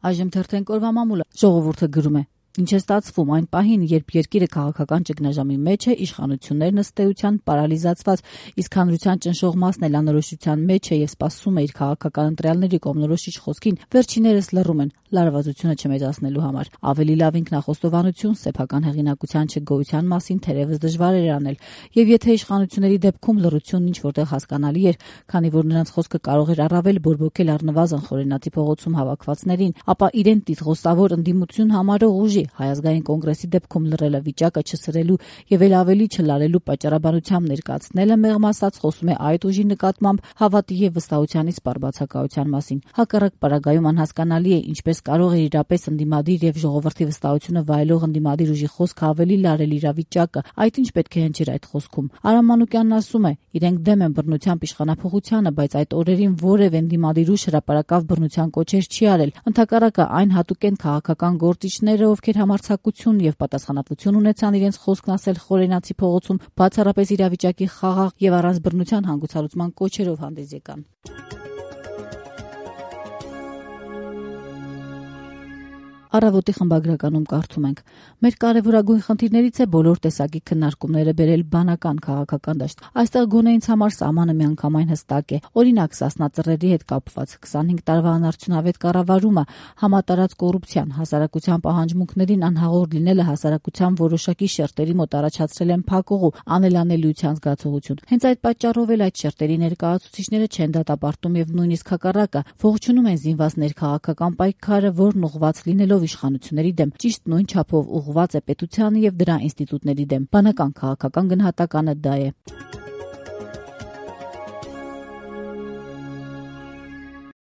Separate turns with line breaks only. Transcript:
Այժմ թերթենք օրվա մամուլը։ Ժողովուրդը գրում է. Ինչ է ստացվում այն պահին, երբ երկիրը քաղաքական ճգնաժամի մեջ է, իշխանություններն ըստ էության պարալիզացված, իսկ հանրության ճնշող մասն էլ անորոշության մեջ է եւ սպասում է իր քաղաքական ընտրյալների կողմնորոշիչ խոսքին, վերջիներս լռում են լարվածությունը չմեծացնելու համար։ Ավելի լավ ինքնախոստովանություն, սեփական հեղինակության չգոյության մասին թերևս դժվար էր անել, եւ եթե իշխանությունների դեպքում լռությունն ինչ որտեղ հասկանալի էր, քանի որ նրանց խոսքը կարող էր առավել բորբոքել առնվազն Խորենացի փողոցում հավաքվածներին, ապա իրեն տիտղոսավոր ընդդիմություն համարող ուժի Հայ ազգային կոնգրեսի դեպքում լռելը վիճակը չսրելու եւ էլ ավելի չլարելու պատճառաբանությամբ ներկայացնելը մեղմ ասած խոսում է այդ ուժի նկատմամբ հավատի եւ վստահության իսպառ բացակայության մասին։ Հակառակ պարագայում անհասկանալի է ինչպես կարող է իրապես ընդդիմադիր եւ ժողովրդի վստահությունը վայելող ընդդիմադիր ուժի խոսքը ավելի լարել իրավիճակը, այդ ինչ պետք է հնչեր այդ խոսքում։ Արամ Մանուկյանն ասում է, իրենք դեմ են բռնությամբ իշխանափոխությանը, բայց այդ օրերին որևէ ընդդիմադիր ուժ հրապարակավ բռնության կոչեր չի արել։ Ընդհակառակը այն հատուկ են քաղաքական գործիչները, ովքեր համարձակություն եւ պատասխանատվություն ունեցան իրենց խոսքն ասել Խորենացի փողոցում, բացառապես իրավիճակի խաղաղ եւ առանց բռնության հանգուցալուծման կոչերով հանդես եկան։ Առավոտի խմբագրականում կարդում ենք. մեր կարևորագույն խնդիրներից է բոլոր տեսակի քննարկումները բերել բանական քաղաքական դաշտ։ Այստեղ գոնե ինձ համար սահմանը միանգամայն հստակ է։ Օրինակ, Սասնա ծռերի հետ կապված 25 տարվա անարդյունավետ կառավարումը, համատարած կոռուպցիան, հասարակության պահանջմունքներին անհաղոր լինելը հասարակության որոշակի շերտերի մոտ առաջացրել են փակուղու, անելանելիության զգացողություն։ Հենց այդ պատճառով էլ այդ շերտերի ներկայացուցիչները չեն դատապարտում եւ նույնիսկ հակառակը ողջունում են զինված ներքաղաքական պայքարը, որն ուղղված լինելով իշխանությունների դեմ, ճիշտ նույն չափով ուղղված է պետությանը եւ դրա ինստիտուտների դեմ։ Բանական քաղաքական գնահատականը դա է։